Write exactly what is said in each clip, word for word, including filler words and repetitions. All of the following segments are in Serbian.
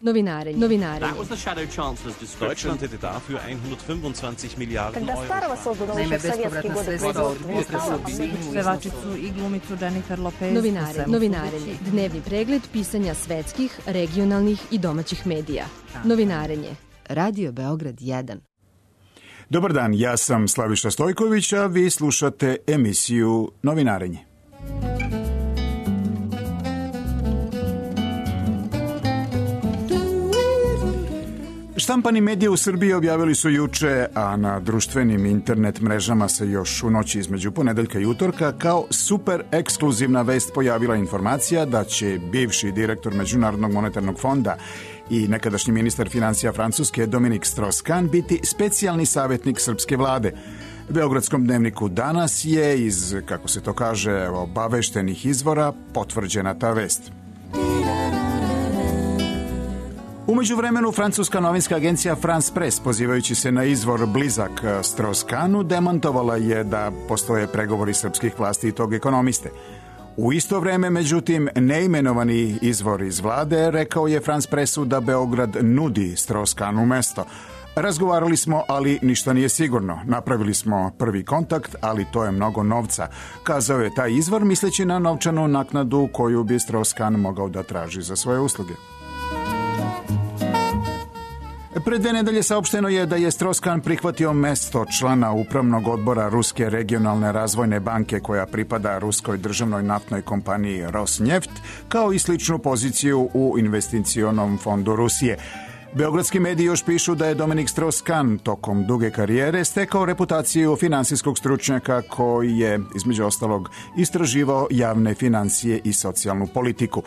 Novinarenje. Novinarenje. Deutschland hätte dafür hundertfünfundzwanzig Milliarden Euro. Naime, bespovratna sredstva od pevačicu i glumicu Jennifer Lopez. Novinarenje. Novinarenje. Dnevni pregled pisanja svetskih, regionalnih i domaćih medija. Novinarenje. Radio Beograd jedan. Dobar dan, ja sam Slaviša Stojković, a vi slušate emisiju Novinarenje. Štampani mediji u Srbiji objavili su juče, a na društvenim internet mrežama se još u noći između ponedeljka i utorka kao super ekskluzivna vest pojavila informacija da će bivši direktor Međunarodnog monetarnog fonda i nekadašnji ministar financija Francuske Dominique Strauss-Kahn biti specijalni savjetnik srpske vlade. Beogradskom dnevniku Danas je iz, kako se to kaže, obaveštenih izvora potvrđena ta vest. U međuvremenu, francuska novinska agencija France Press, pozivajući se na izvor blizak Strauss-Kahnu, demantovala je da postoje pregovori srpskih vlasti i tog ekonomiste. U isto vreme, međutim, neimenovani izvor iz vlade rekao je France Pressu da Beograd nudi Strauss-Kahnu mesto. Razgovarali smo, ali ništa nije sigurno. Napravili smo prvi kontakt, ali to je mnogo novca. Kazao je taj izvor, misleći na novčanu naknadu koju bi Strauss-Kahn mogao da traži za svoje usluge. Pre dve nedelje saopšteno je da je Strauss-Kahn prihvatio mesto člana upravnog odbora Ruske regionalne razvojne banke koja pripada ruskoj državnoj naftnoj kompaniji Rosneft, kao i sličnu poziciju u investicionom fondu Rusije. Beogradski mediji još pišu da je Dominique Strauss-Kahn tokom duge karijere stekao reputaciju finansijskog stručnjaka koji je, između ostalog, istraživao javne financije i socijalnu politiku.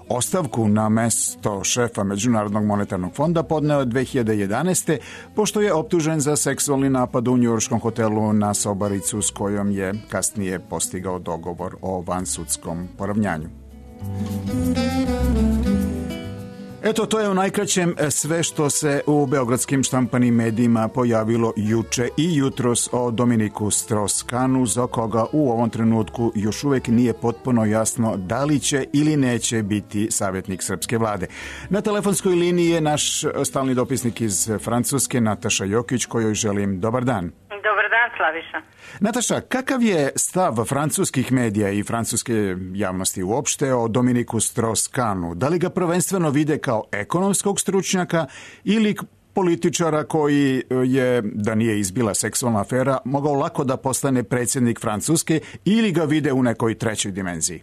Ostavku na mesto šefa Međunarodnog monetarnog fonda podneo je dve hiljade jedanaeste. pošto je optužen za seksualni napad u njujorškom hotelu na sobaricu s kojom je kasnije postigao dogovor o vansudskom poravnjanju. Eto, to je u najkraćem sve što se u beogradskim štampanim medijima pojavilo juče i jutros o Dominiku Strauss-Kahnu, za koga u ovom trenutku još uvek nije potpuno jasno da li će ili neće biti savjetnik srpske vlade. Na telefonskoj liniji je naš stalni dopisnik iz Francuske, Nataša Jokić, kojoj želim dobar dan. Dobar dan, Slaviša. Nataša, kakav je stav francuskih medija i francuske javnosti uopšte o Dominiku Strauss-Kahnu? Da li ga prvenstveno vide kao ekonomskog stručnjaka ili političara koji je, da nije izbila seksualna afera, mogao lako da postane predsjednik Francuske, ili ga vide u nekoj trećoj dimenziji?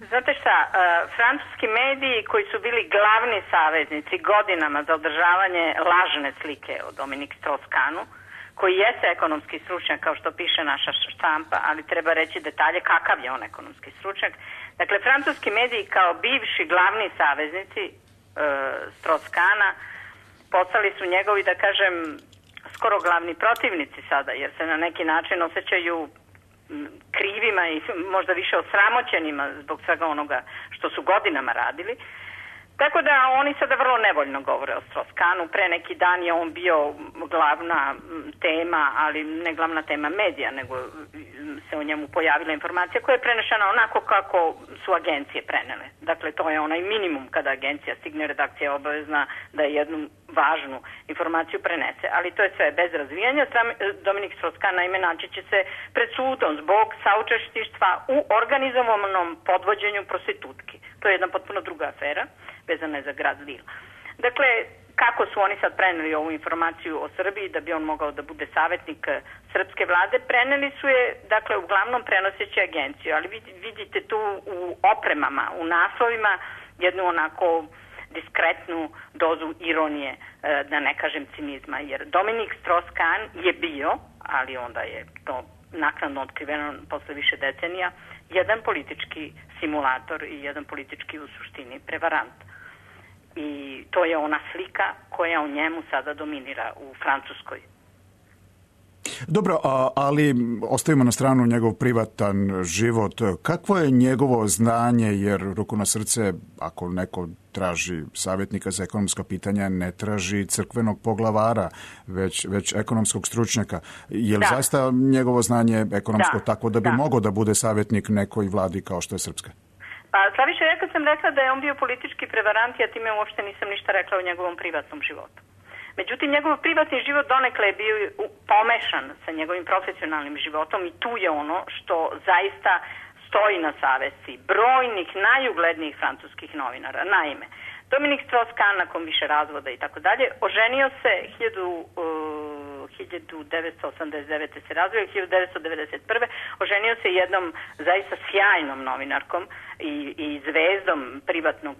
Znate šta, uh, francuski mediji koji su bili glavni saveznici godinama za održavanje lažne slike o Dominiku Strauss-Kahnu, koji jeste ekonomski stručnjak, kao što piše naša štampa, ali treba reći detalje kakav je on ekonomski stručnjak. Dakle, francuski mediji kao bivši glavni saveznici e, Strauss-Kahna postali su njegovi, da kažem, skoro glavni protivnici sada, jer se na neki način osjećaju krivima i možda više osramoćenima zbog svega onoga što su godinama radili. Tako da oni sada vrlo nevoljno govore o Strauss-Kahnu. Pre neki dan je on bio glavna tema, ali ne glavna tema medija, nego se o njemu pojavila informacija koja je prenešena onako kako su agencije prenele. Dakle, to je onaj minimum kada agencija stigne, redakcija je obavezna da jednu važnu informaciju prenese. Ali to je sve bez razvijanja. Dominique Strauss-Kahn naime naći će se pred sudom zbog saučesništva u organizovanom podvođenju prostitutki. To je jedna potpuno druga afera, vezana je za grad Lille. Dakle, kako su oni sad preneli ovu informaciju o Srbiji da bi on mogao da bude savjetnik srpske vlade, preneli su je, dakle, uglavnom prenoseći agenciju, ali vidite tu u opremama, u naslovima, jednu onako diskretnu dozu ironije, da ne kažem cinizma, jer Dominique Strauss-Kahn je bio, ali onda je to naknadno otkriveno posle više decenija, jedan politički simulator i jedan politički u suštini prevarant. I to je ona slika koja u njemu sada dominira u Francuskoj. Dobro, a, ali ostavimo na stranu njegov privatan život. Kakvo je njegovo znanje, jer ruku na srce, ako neko traži savjetnika za ekonomska pitanja, ne traži crkvenog poglavara, već, već ekonomskog stručnjaka. Je li zaista njegovo znanje ekonomsko da, tako da bi da. mogao da bude savjetnik nekoj vladi kao što je srpska? Pa Slaviša, ja kad sam rekla da je on bio politički prevarant, ja time uopšte nisam ništa rekla o njegovom privatnom životu. Međutim, njegov privatni život donekle je bio pomešan sa njegovim profesionalnim životom i tu je ono što zaista stoji na savesti brojnih najuglednijih francuskih novinara. Naime, Dominik Strauss-Kahn, nakon više razvoda i tako dalje, oženio se hiljadu devetsto osamdeset devete se razvio, hiljadu devetsto devedeset prve oženio se jednom zaista sjajnom novinarkom i, i zvezdom privatnog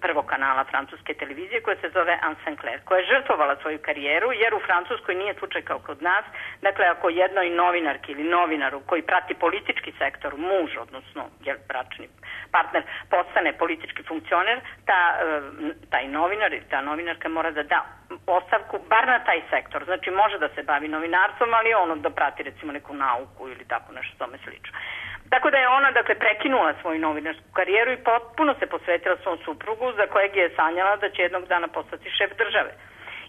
prvog kanala francuske televizije koja se zove Anne Sinclair, koja je žrtvovala svoju karijeru jer u Francuskoj nije slučaj kao kod nas. Dakle, ako jednoj novinarki ili novinaru koji prati politički sektor, muž, odnosno jer bračni partner, postane politički funkcioner, ta, taj novinar ili ta novinarka mora da da ostavku bar na taj sektor. Znači, može da se bavi novinarstvom, ali ono da prati recimo neku nauku ili tako nešto tome slično. Tako da je ona, dakle, prekinula svoju novinarsku karijeru i potpuno se posvetila svom suprugu za kojeg je sanjala da će jednog dana postati šef države.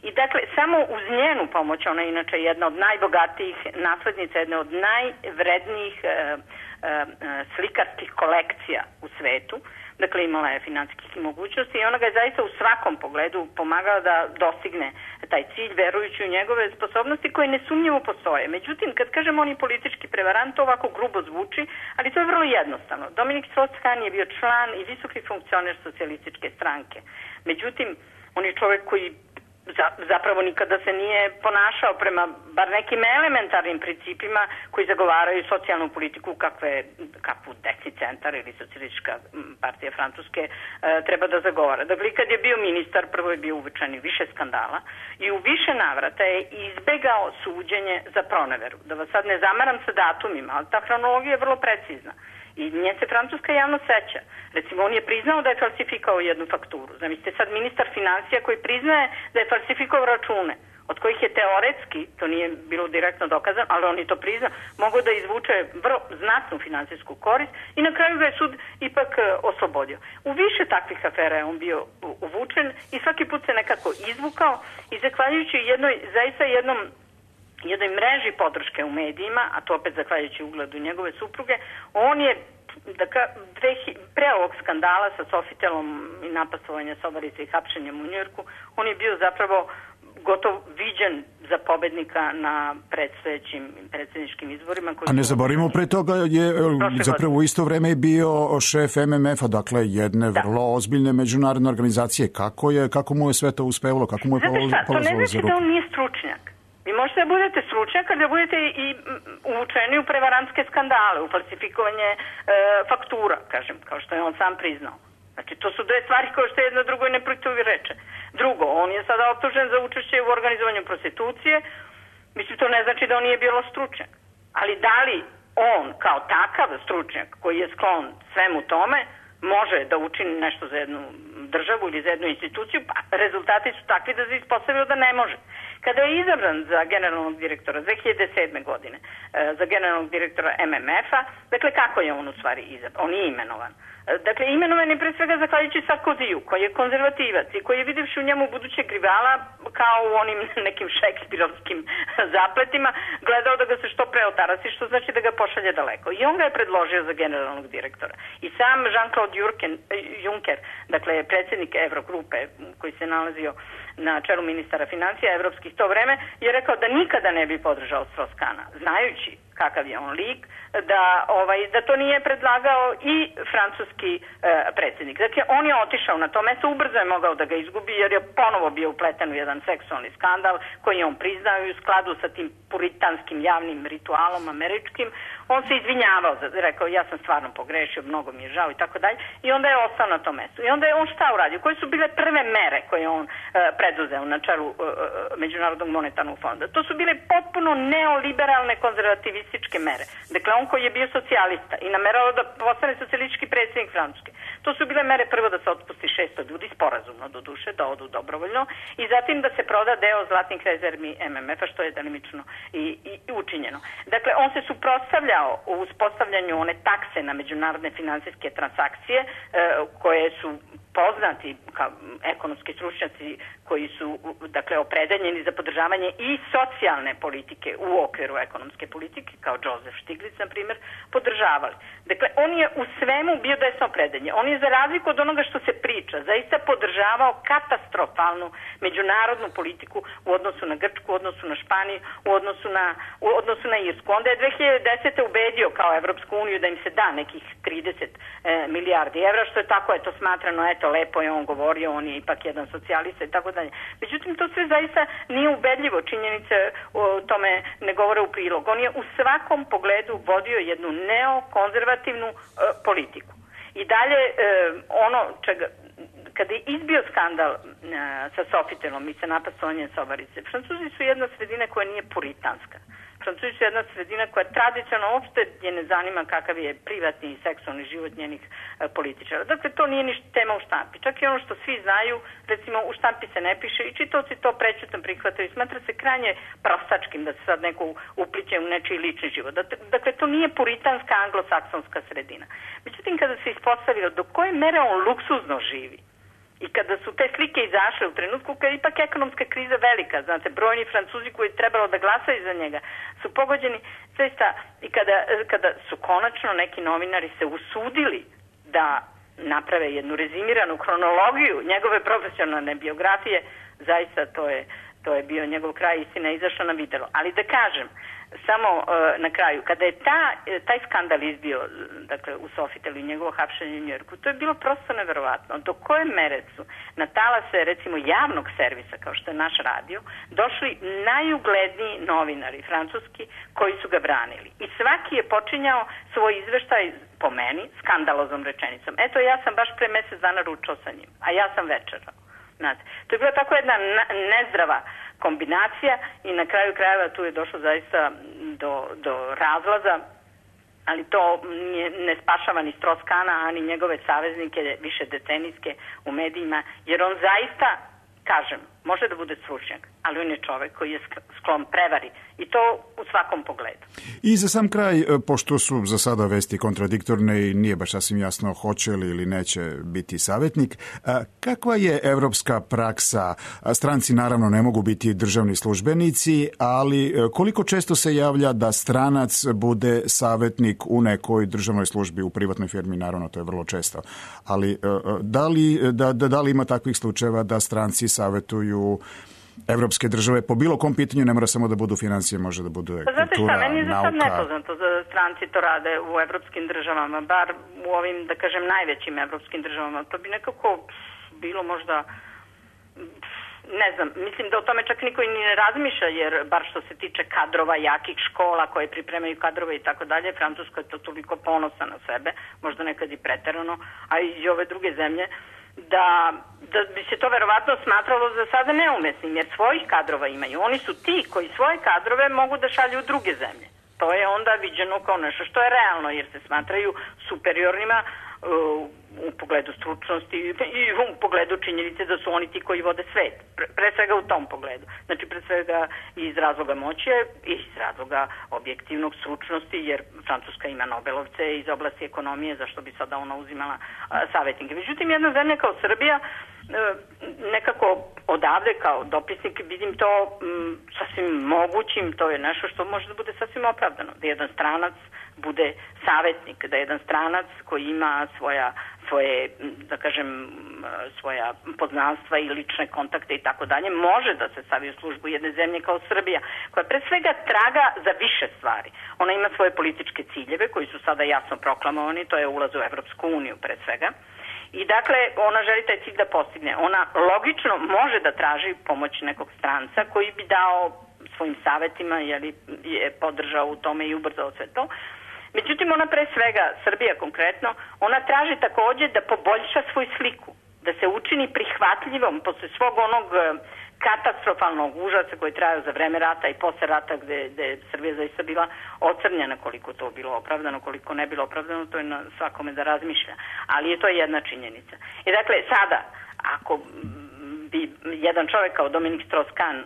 I dakle, samo uz njenu pomoć, ona je inače jedna od najbogatijih naslednica, jedna od najvrednijih e, e, slikarskih kolekcija u svetu. Dakle, imala je financijskih mogućnosti i ona ga je zaista u svakom pogledu pomagala da dostigne taj cilj, verujući u njegove sposobnosti koje nesumnjivo postoje. Međutim, kad kažemo on je politički prevarant, to ovako grubo zvuči, ali to je vrlo jednostavno. Dominik Strauss-Kahn je bio član i visoki funkcioner socijalističke stranke. Međutim, on je čovjek koji zapravo nikada se nije ponašao prema bar nekim elementarnim principima koji zagovaraju socijalnu politiku kakve, kakvu desni centar ili socijalistička partija Francuske e, treba da zagovara. Dakle, kad je bio ministar, prvo je bio uvučen više skandala i u više navrata je izbegao suđenje za proneveru. Da vas sad ne zamaram sa datumima, ali ta hronologija je vrlo precizna. I nje se francuska javno seća. Recimo, on je priznao da je falsifikao jednu fakturu. Zamislite sad ministar financija koji priznaje da je falsifikao račune, od kojih je teoretski, to nije bilo direktno dokazano, ali on je to priznao, mogao da izvuče vrlo znatnu finansijsku korist i na kraju ga je sud ipak oslobodio. U više takvih afera je on bio uvučen i svaki put se nekako izvukao i zahvaljujući jednoj, zaista jednom jednoj mreži podrške u medijima, a to opet zahvaljujući ugledu njegove supruge, on je da ka, dve, pre ovog skandala sa Sofitelom i napasovanja Sobarice i hapšenjem u Njujorku, on je bio zapravo gotovo viđen za pobednika na predstojećim predsjedničkim izborima. Koji a ne zaboravimo, pre toga je zapravo u isto vreme bio šef em em ef-a, dakle jedne da. vrlo ozbiljne međunarodne organizacije. Kako je, kako mu je sve to uspevalo? Kako mu je polazilo za ruku? To ne znači da on nije stručnjak. Vi možete da budete stručnjak, ali da budete i uvučeni u prevarantske skandale, u falsifikovanje e, faktura, kažem, kao što je on sam priznao. Znači, to su dve stvari koje što jedno drugoj ne protivreče. Drugo, on je sada optužen za učešće u organizovanju prostitucije. Mislim, to ne znači da on nije bilo stručnjak. Ali da li on, kao takav stručnjak koji je sklon svemu tome, može da učini nešto za jednu državu ili za jednu instituciju, pa rezultati su takvi da se ispostavio da ne može. Kada je izabran za generalnog direktora dve hiljade sedme. godine, za generalnog direktora em em ef-a, dakle kako je on u stvari izabran? On je imenovan. Dakle, imenovan je pre svega zahvaljujući Sarkoziju, koji je konzervativac i koji je videvši u njemu budućeg rivala, kao u onim nekim šekspirovskim zapletima, gledao da ga se što pre otarasi, što znači da ga pošalje daleko. I on ga je predložio za generalnog direktora. I sam Jean-Claude Juncker, dakle predsjednik Evrogrupe, koji se nalazio na čelu ministara financija evropskih to vreme, je rekao da nikada ne bi podržao Strauss-Kahna, znajući kakav je on lik, da, ovaj, da to nije predlagao i francuski e, predsjednik. Dakle, on je otišao na to mesto, ubrzo je mogao da ga izgubi jer je ponovo bio upleten u jedan seksualni skandal koji je on priznao i u skladu sa tim puritanskim javnim ritualom američkim. On se izvinjavao, rekao ja sam stvarno pogrešio, mnogo mi je žao i tako dalje. I onda je ostao na tom mestu. I onda je on šta uradio? Koje su bile prve mere koje on e, preduzeo na čelu e, Međunarodnog monetarnog fonda? To su bile potpuno neoliberalne konzervativističke mere. Dakle, on koji je bio socijalista i namerao da postane socijalistički predsjednik Francuske. To su bile mere prvo da se otpusti šesto ljudi, sporazumno do duše, da odu dobrovoljno, i zatim da se proda deo zlatnih rezervi M M F-a, što je delimično i, i, i učinjeno. Dakle, on se suprotstavljao u uspostavljanju one takse na međunarodne finansijske transakcije e, koje su poznati kao ekonomski stručnjaci koji su, dakle, opredeljeni za podržavanje i socijalne politike u okviru ekonomske politike, kao Joseph Stiglitz, na primjer, podržavali. Dakle, on je u svemu bio desno opredeljen. On je, za razliku od onoga što se priča, zaista podržavao katastrofalnu međunarodnu politiku u odnosu na Grčku, u odnosu na Španiju, u odnosu na, u odnosu na Irsku. Onda je dve hiljade desete. ubedio kao Evropsku uniju da im se da nekih trideset e, milijardi evra, što je tako, eto, smatrano, eto, lepo je on govorio, on je ipak jedan socijalista i tako dalje. Međutim, to sve zaista nije ubedljivo, činjenice o tome ne govore u prilog. On je u svakom pogledu vodio jednu neokonzervativnu e, politiku. I dalje, e, ono čega, kada je izbio skandal e, sa Sofitelom i sa napasovanjem Sobarice, Francuzi su jedna sredina koja nije puritanska. Francuzi su jedna sredina koja tradicionalno uopšte je ne zanima kakav je privatni i seksualni život njenih e, političara. Dakle, to nije ništa tema u štampi. Čak i ono što svi znaju, recimo, u štampi se ne piše i čitaoci to prećutno prihvataju. Smatra se krajnje prostačkim da se sad neko upliće u nečiji lični život. Dakle, to nije puritanska anglosaksonska sredina. Međutim, kada se ispostavilo do koje mere on luksuzno živi, i kada su te slike izašle u trenutku kada je ipak ekonomska kriza velika, znate, brojni Francuzi koji je trebalo da glasaju za njega su pogođeni zaista, i kada, kada su konačno neki novinari se usudili da naprave jednu rezimiranu hronologiju njegove profesionalne biografije, zaista to je, to je bio njegov kraj, istina je izašla na videlo. Ali da kažem, samo uh, na kraju, kada je ta, taj skandal izbio, dakle, u Sofitelu i njegovo hapšenje u Njujorku, to je bilo prosto neverovatno. Do koje mere su na talase, recimo, javnog servisa, kao što je naš radio, došli najugledniji novinari francuski koji su ga branili. I svaki je počinjao svoj izveštaj, po meni, skandaloznom rečenicom. Eto, ja sam baš pre mesec dana ručao sa njim, a ja sam večerao. Znate, to je bila tako jedna nezdrava kombinacija i na kraju krajeva tu je došlo zaista do, do razlaza, ali to ne, ne spašava ni Stroskana, ani njegove saveznike više decenijske u medijima, jer on zaista, kažem, može da bude stručnjak, ali on je čovek koji je sklon prevari i to u svakom pogledu. I za sam kraj, pošto su za sada vesti kontradiktorne i nije baš sasvim jasno hoće li ili neće biti savjetnik, kakva je evropska praksa? Stranci naravno ne mogu biti državni službenici, ali koliko često se javlja da stranac bude savjetnik u nekoj državnoj službi, u privatnoj firmi, naravno to je vrlo često. Ali da li, da, da, da li ima takvih slučajeva da stranci savjetuju evropske države po bilo kom pitanju, ne mora samo da budu financije, može da budu kultura, nauka. Znate šta, meni je za sad nepoznato da stranci to rade u evropskim državama, bar u ovim, da kažem, najvećim evropskim državama. To bi nekako bilo možda, ne znam, mislim da o tome čak niko i ne razmišlja, jer bar što se tiče kadrova, jakih škola koje pripremaju kadrove i tako dalje, Francuska je to toliko ponosa na sebe, možda nekad i preterano, a i ove druge zemlje, da, da bi se to verovatno smatralo za sada neumesnim, jer svojih kadrova imaju. Oni su ti koji svoje kadrove mogu da šalju u druge zemlje. To je onda viđeno kao nešto što je realno, jer se smatraju superiornima uh, u pogledu stručnosti i u pogledu činjenice da su oni ti koji vode svet. Pre, pre svega u tom pogledu. Znači, pre svega iz razloga moći i iz razloga objektivnog stručnosti, jer Francuska ima Nobelovce iz oblasti ekonomije, zašto bi sada ona uzimala a, savjetnike. Međutim, jedna zemlja kao Srbija, e, nekako odavde kao dopisnik vidim to m, sasvim mogućim, to je nešto što može da bude sasvim opravdano. Da jedan stranac bude savjetnik, da jedan stranac koji ima svoja svoje, da kažem, svoja poznanstva i lične kontakte i tako dalje, može da se stavi u službu jedne zemlje kao Srbija, koja pre svega traga za više stvari. Ona ima svoje političke ciljeve koji su sada jasno proklamovani, to je ulaz u Evropsku uniju pre svega. I dakle, ona želi taj cilj da postigne. Ona logično može da traži pomoć nekog stranca koji bi dao svojim savjetima, jer je podržao u tome i ubrzao sve to. Međutim, ona pre svega, Srbija konkretno, ona traži također da poboljša svoju sliku, da se učini prihvatljivom posle svog onog katastrofalnog užasa koji traju za vreme rata i posle rata gde, gde je Srbija zaista bila ocrnjena, koliko to bilo opravdano, koliko ne bilo opravdano, to je na svakome da razmišlja. Ali je to jedna činjenica. I dakle, sada, ako bi jedan čovjek kao Dominik Strauss-Kahn e,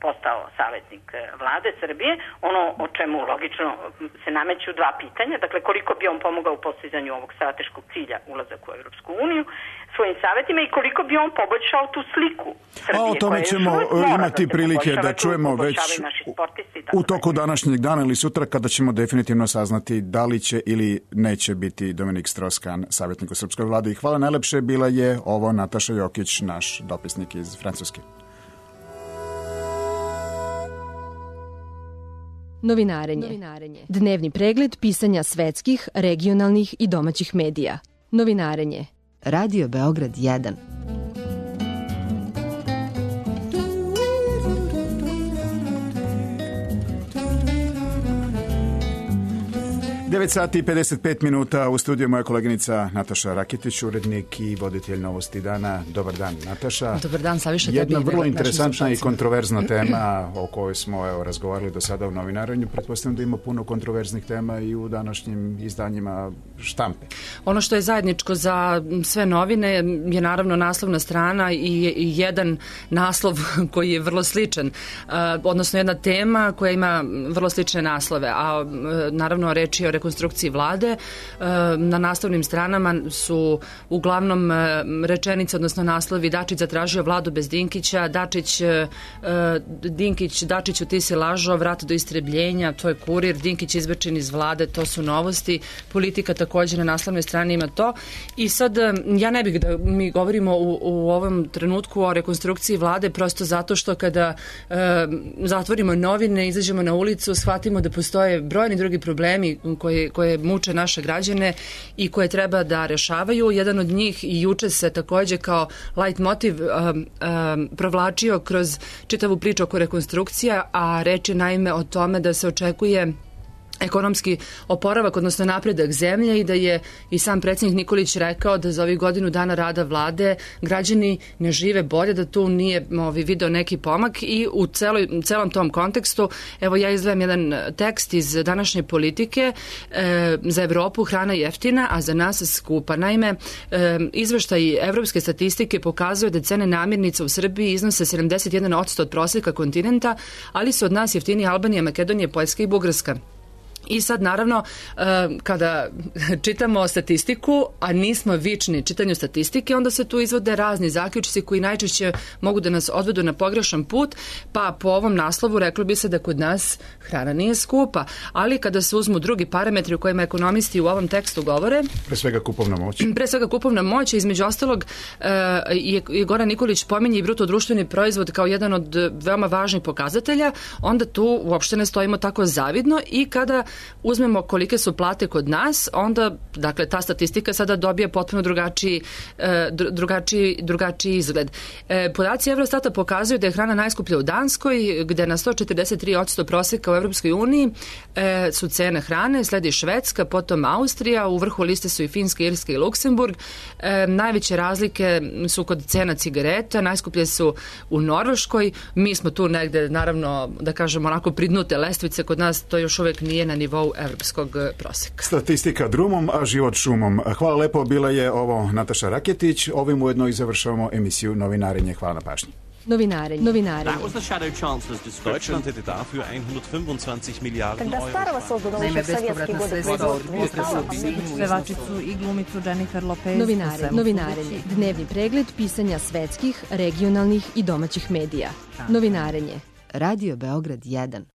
postao savjetnik e, vlade Srbije, ono o čemu logično se nameću dva pitanja, dakle koliko bi on pomogao u postizanju ovog strateškog cilja ulazak u Europsku uniju svojim savjetima i koliko bi on poboljšao tu sliku Srbije. A o tome ćemo imati da prilike da čujemo već u toku današnjeg dana ili sutra kada ćemo definitivno saznati da li će ili neće biti Dominik Strauss-Kahn savjetnik u srpskoj vladi. Hvala najlepše, bila je ovo Nataša Jokić, naš dopisnik iz Francuske. Novinarenje. Dnevni pregled pisanja svetskih, regionalnih i domaćih medija. Novinarenje. Radio Beograd jedan. devet sati i pedeset pet minuta, u studiju moja koleginica Nataša Raketić, urednik i voditelj Novosti dana. Dobar dan, Nataša. Dobar dan, Saviša. Jedna vrlo interesantna i kontroverzna tema o kojoj smo evo, razgovarali do sada u novinarenju. Pretpostavljam da ima puno kontroverznih tema i u današnjim izdanjima štampe. Ono što je zajedničko za sve novine je naravno naslovna strana i jedan naslov koji je vrlo sličan, odnosno jedna tema koja ima vrlo slične naslove, a naravno reč je o rekonstrukciji vlade. Na naslovnim stranama su uglavnom rečenice, odnosno naslovi: Dačić zatražio vladu bez Dinkića, Dačić, Dinkić, Dačiću ti si lažao, vrat do istrebljenja, to je Kurir, Dinkić izbačen iz vlade, to su Novosti, Politika također na naslovnoj strani ima to. I sad ja ne bih da mi govorimo u, u ovom trenutku o rekonstrukciji vlade, prosto zato što kada e, zatvorimo novine, izađemo na ulicu, shvatimo da postoje brojni drugi problemi koje, koje muče naše građane i koje treba da rešavaju. Jedan od njih i juče se također kao light motiv um, um, provlačio kroz čitavu priču oko rekonstrukcija, a reč je naime o tome da se očekuje ekonomski oporavak, odnosno napredak zemlje i da je i sam predsjednik Nikolić rekao da za ovih godinu dana rada vlade građani ne žive bolje, da tu nije ovi, video neki pomak i u celoj, celom tom kontekstu, evo ja izdvajam jedan tekst iz današnje Politike. E, za Evropu hrana jeftina, a za nas skupa. Naime, e, izveštaj evropske statistike pokazuje da cene namirnica u Srbiji iznose sedamdeset jedan posto od prosjeka kontinenta, ali su od nas jeftiniji Albanija, Makedonija, Poljska i Bugarska. I sad naravno kada čitamo statistiku, a nismo vični čitanju statistike, onda se tu izvode razni zaključci koji najčešće mogu da nas odvedu na pogrešan put, pa po ovom naslovu reklo bi se da kod nas hrana nije skupa, ali kada se uzmu drugi parametri o kojima ekonomisti u ovom tekstu govore, pre svega kupovna moć, pre svega kupovna moć, između ostalog je Goran Nikolić pominje i bruto društveni proizvod kao jedan od veoma važnih pokazatelja, onda tu uopšte ne stojimo tako zavidno i kada uzmemo kolike su plate kod nas, onda, dakle, ta statistika sada dobije potpuno drugačiji, drugačiji, drugačiji izgled. Podaci Eurostata pokazuju da je hrana najskuplja u Danskoj, gde na sto četrdeset tri posto proseka u Europskoj uniji su cene hrane, sledi Švedska, potom Austrija, u vrhu liste su i Finska, Irska i Luksemburg. Najveće razlike su kod cena cigareta, najskuplje su u Norveškoj, mi smo tu negde, naravno, da kažemo onako pridnute lestvice, kod nas to još uvek nije na nivou evropskog proseka. Statistika drumom, a život šumom. Hvala lepo, bila je ovo Nataša Raketić. Ovim ujedno i završavamo emisiju Novinarenje. Hvala na pažnji. Novinarenje. Novinarenje. That was the shadow chancellor's discussion. Deutschland hätte dafür hundertfünfundzwanzig Milliarden Euro. Naime, bespovratna sredstva od pevačicu i glumicu Jennifer Lopez. Novinarenje. Novinarenje. Dnevni pregled pisanja svetskih, regionalnih i domaćih medija. Novinarenje. Radio Beograd jedan.